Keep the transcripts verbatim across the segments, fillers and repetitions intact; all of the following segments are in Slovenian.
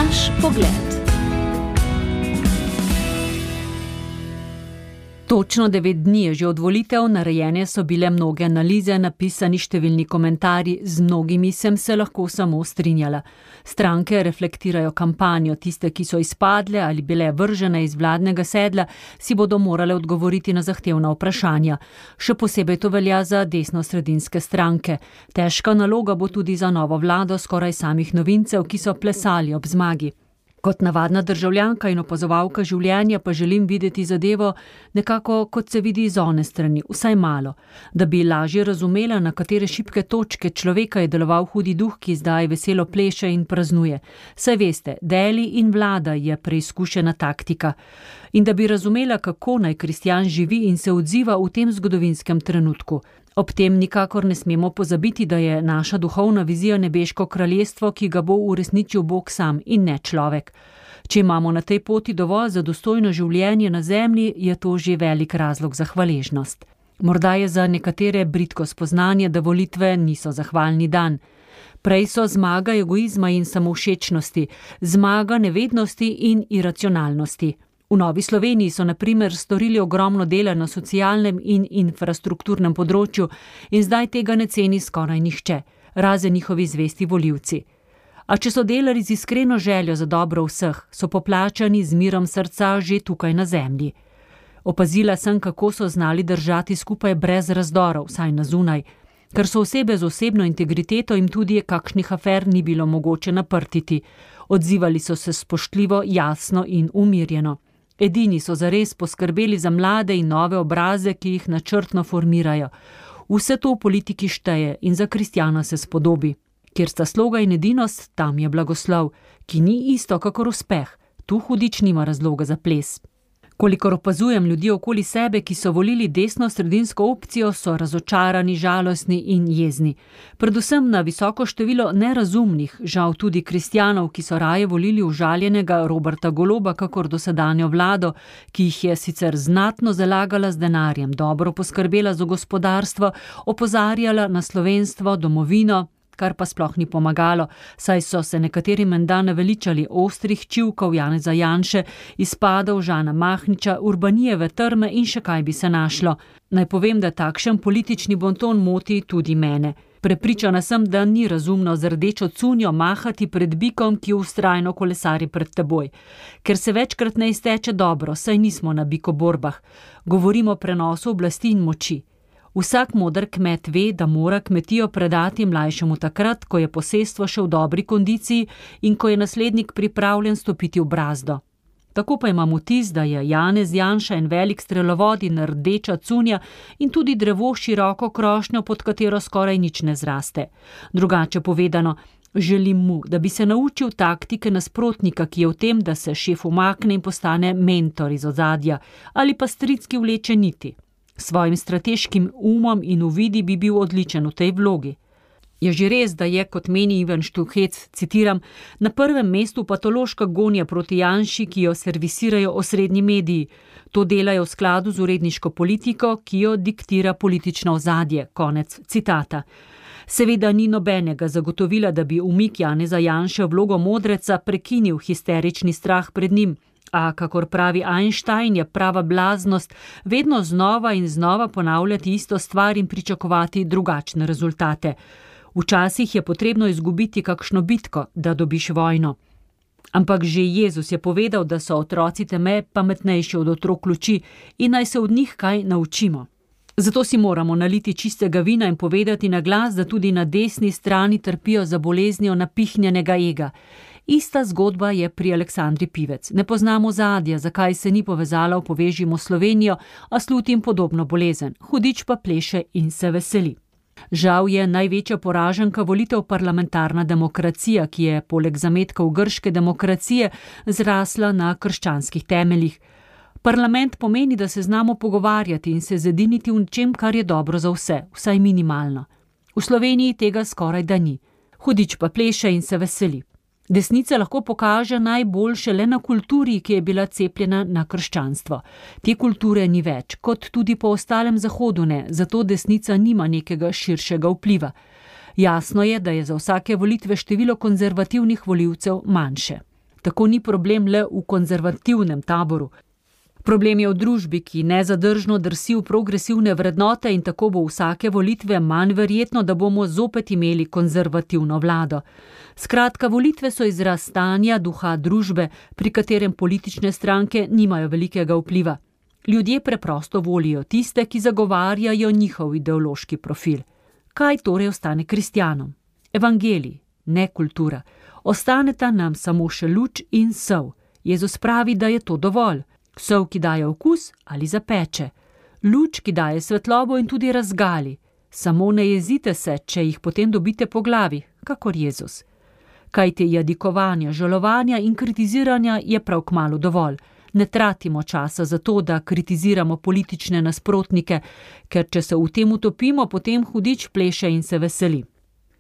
Naš pogled. Točno devet dni je že od volitev, narejene so bile mnoge analize, napisani številni komentarji, z mnogimi sem se lahko samo strinjala. Stranke reflektirajo kampanjo, tiste, ki so izpadle ali bile vržene iz vladnega sedla, si bodo morale odgovoriti na zahtevna vprašanja. Še posebej to velja za desnosredinske stranke. Težka naloga bo tudi za novo vlado skoraj samih novincev, ki so plesali ob zmagi. Kot navadna državljanka in opazovalka življenja pa želim videti zadevo nekako, kot se vidi iz one strani, vsaj malo, da bi lažje razumela, na katere šibke točke človeka je deloval hudi duh, ki zdaj veselo pleše in praznuje. Saj veste, deli in vlada je preizkušena taktika. In da bi razumela, kako naj kristjan živi in se odziva v tem zgodovinskem trenutku. Ob tem nikakor ne smemo pozabiti, da je naša duhovna vizija nebeško kraljestvo, ki ga bo uresničil Bog sam in ne človek. Če imamo na tej poti dovolj za dostojno življenje na zemlji, je to že velik razlog za hvaležnost. Morda je za nekatere bridko spoznanje, da volitve niso zahvalni dan. Prej so zmaga egoizma in samovšečnosti, zmaga nevednosti in iracionalnosti. V Novi Sloveniji so na primer storili ogromno dela na socialnem in infrastrukturnem področju in zdaj tega ne ceni skoraj nihče, razen njihovi zvesti volivci. A če so delali z iskreno željo za dobro vseh, so poplačani z mirom srca že tukaj na zemlji. Opazila sem, kako so znali držati skupaj brez razdorov, vsaj na zunaj, ker so osebe z osebno integriteto in tudi kakšnih afer ni bilo mogoče naprtiti. Odzivali so se spoštljivo, jasno in umirjeno. Edini so zares poskrbeli za mlade in nove obraze, ki jih načrtno formirajo. Vse to v politiki šteje in za kristjana se spodobi. Kjer sta sloga in edinost, tam je blagoslov, ki ni isto kakor uspeh. Tu hudič nima razloga za ples. Kolikor opazujem ljudi okoli sebe, ki so volili desno-sredinsko opcijo, so razočarani, žalostni in jezni. Predvsem na visoko število nerazumnih, žal tudi kristjanov, ki so raje volili užaljenega Roberta Goloba kakor dosedanjo vlado, ki jih je sicer znatno zalagala z denarjem, dobro poskrbela za gospodarstvo, opozarjala na slovenstvo, domovino, kar pa sploh ni pomagalo, saj so se nekateri menda naveličali ostrih čivkov Janeza Janše, izpadov Žana Mahniča, Urbanijeve trme in še kaj bi se našlo. Naj povem, da takšen politični bonton moti tudi mene. Prepričana sem, da ni razumno z rdečo cunjo mahati pred bikom, ki vztrajno kolesari pred teboj. Ker se večkrat ne izteče dobro, saj nismo na bikoborbah. Govorimo o prenosu oblasti in moči. Vsak moder kmet ve, da mora kmetijo predati mlajšemu takrat, ko je posestvo še v dobri kondiciji in ko je naslednik pripravljen stopiti v brazdo. Tako pa imam vtis, da je Janez Janša en velik strelovod in rdeča cunja in tudi drevo široko krošnjo, pod katero skoraj nič ne zraste. Drugače povedano, želim mu, da bi se naučil taktike nasprotnika, ki je v tem, da se šef umakne in postane mentor iz ozadja ali pa stric, ki vleče niti. Svojim strateškim umom in uvidi bi bil odličen v tej vlogi. Je že res, da je, kot meni Ivan Štuhec, citiram, na prvem mestu patološka gonja proti Janši, ki jo servisirajo osrednji mediji. To delajo v skladu z uredniško politiko, ki jo diktira politično ozadje. Konec citata. Seveda ni nobenega zagotovila, da bi umik Janeza Janše v vlogo modreca prekinil histerični strah pred njim. A, kakor pravi Einstein, je prava blaznost vedno znova in znova ponavljati isto stvar in pričakovati drugačne rezultate. Včasih je potrebno izgubiti kakšno bitko, da dobiš vojno. Ampak že Jezus je povedal, da so otroci teme pametnejši od otrok luči in naj se od njih kaj naučimo. Zato si moramo naliti čistega vina in povedati na glas, da tudi na desni strani trpijo za boleznijo napihnjenega ega. Ista zgodba je pri Aleksandri Pivec. Ne poznamo ozadja, zakaj se ni povezala v Povežimo Slovenijo, a slutim podobno bolezen. Hudič pa pleše in se veseli. Žal je največja poraženka volitev parlamentarna demokracija, ki je poleg zametkov grške demokracije zrasla na krščanskih temeljih. Parlament pomeni, da se znamo pogovarjati in se zediniti v čem, kar je dobro za vse, vsaj minimalno. V Sloveniji tega skoraj da ni. Hudič pa pleše in se veseli. Desnica lahko pokaže najboljše le na kulturi, ki je bila cepljena na krščanstvo. Te kulture ni več, kot tudi po ostalem Zahodu ne, zato desnica nima nekega širšega vpliva. Jasno je, da je za vsake volitve število konzervativnih volivcev manjše. Tako ni problem le v konzervativnem taboru. Problem je v družbi, ki nezadržno drsi v progresivne vrednote in tako bo vsake volitve manj verjetno, da bomo zopet imeli konzervativno vlado. Skratka, volitve so izraz stanja duha družbe, pri katerem politične stranke nimajo velikega vpliva. Ljudje preprosto volijo tiste, ki zagovarjajo njihov ideološki profil. Kaj torej ostane kristjanom? Evangelij, ne kultura. Ostaneta nam samo še luč in sol. Jezus pravi, da je to dovolj. Sol, ki daje okus ali zapeče. Luč, ki daje svetlobo in tudi razgali. Samo ne jezite se, če jih potem dobite po glavi, kakor Jezus. Kajti jadikovanja, žalovanja in kritiziranja je prav kmalu dovolj. Ne tratimo časa za to, da kritiziramo politične nasprotnike, ker če se v tem utopimo, potem hudič pleše in se veseli.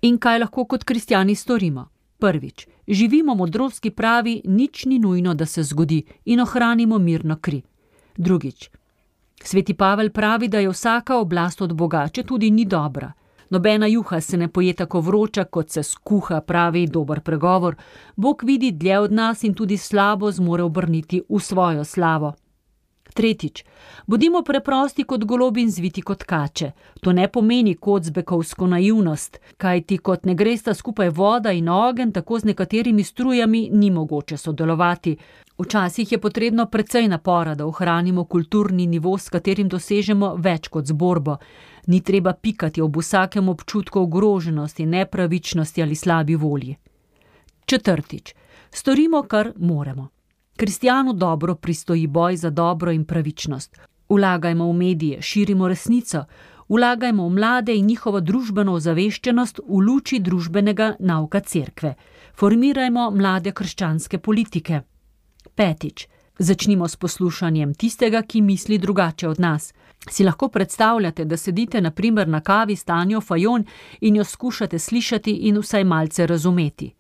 In kaj lahko kot kristjani storimo? Prvič, živimo modrost, ki pravi, nič ni nujno, da se zgodi in ohranimo mirno kri. Drugič, sveti Pavel pravi, da je vsaka oblast od Boga, če tudi ni dobra. Nobena juha se ne poje tako vroča, kot se skuha, pravi dober pregovor. Bog vidi dlje od nas in tudi slabo zmore obrniti v svojo slavo. Tretjič, bodimo preprosti kot golobi in zviti kot kače. To ne pomeni kocbekovsko naivnost, kajti kot ne gresta skupaj voda in ogenj, tako z nekaterimi strujami ni mogoče sodelovati. Včasih je potrebno precej napora, da ohranimo kulturni nivo, s katerim dosežemo več kot z borbo. Ni treba pikati ob vsakem občutku ogroženosti, nepravičnosti ali slabi volji. Četrtič, storimo, kar moremo. Kristjanu dobro pristoji boj za dobro in pravičnost. Vlagajmo v medije, širimo resnico, vlagajmo v mlade in njihovo družbeno ozaveščenost v luči družbenega nauka cerkve. Formirajmo mlade krščanske politike. Petič, začnimo s poslušanjem tistega, ki misli drugače od nas. Si lahko predstavljate, da sedite na primer na kavi s Tanjo Fajon in jo skušate slišati in vsaj malce razumeti.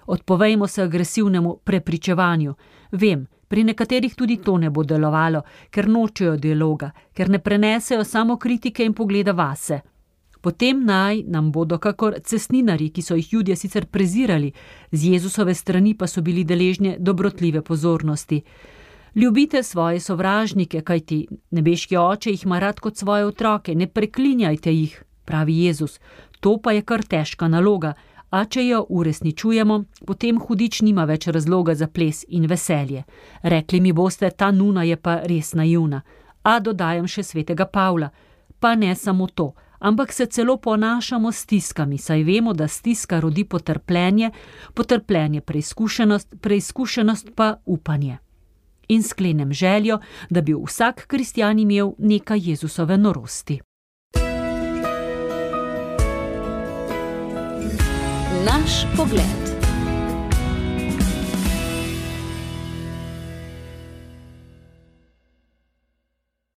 Odpovejmo se agresivnemu prepričevanju. Vem, pri nekaterih tudi to ne bo delovalo, ker nočejo dialoga, ker ne prenesejo samo kritike in pogleda vase. Potem naj nam bodo kakor cestninarji, ki so jih Judje sicer prezirali, z Jezusove strani pa so bili deležni dobrotljive pozornosti. Ljubite svoje sovražnike, kajti nebeški oče jih ima rad kot svoje otroke, ne preklinjajte jih, pravi Jezus. To pa je kar težka naloga, a če jo uresničujemo, potem hudič nima več razloga za ples in veselje. Rekli mi boste, ta nuna je pa res naivna. A dodajam še svetega Pavla. Pa ne samo to, ampak se celo ponašamo s stiskami, saj vemo, da stiska rodi potrpljenje, potrpljenje preizkušenost, preizkušenost pa upanje. In sklenem željo, da bi vsak kristjan imel nekaj Jezusove norosti. Naš pogled.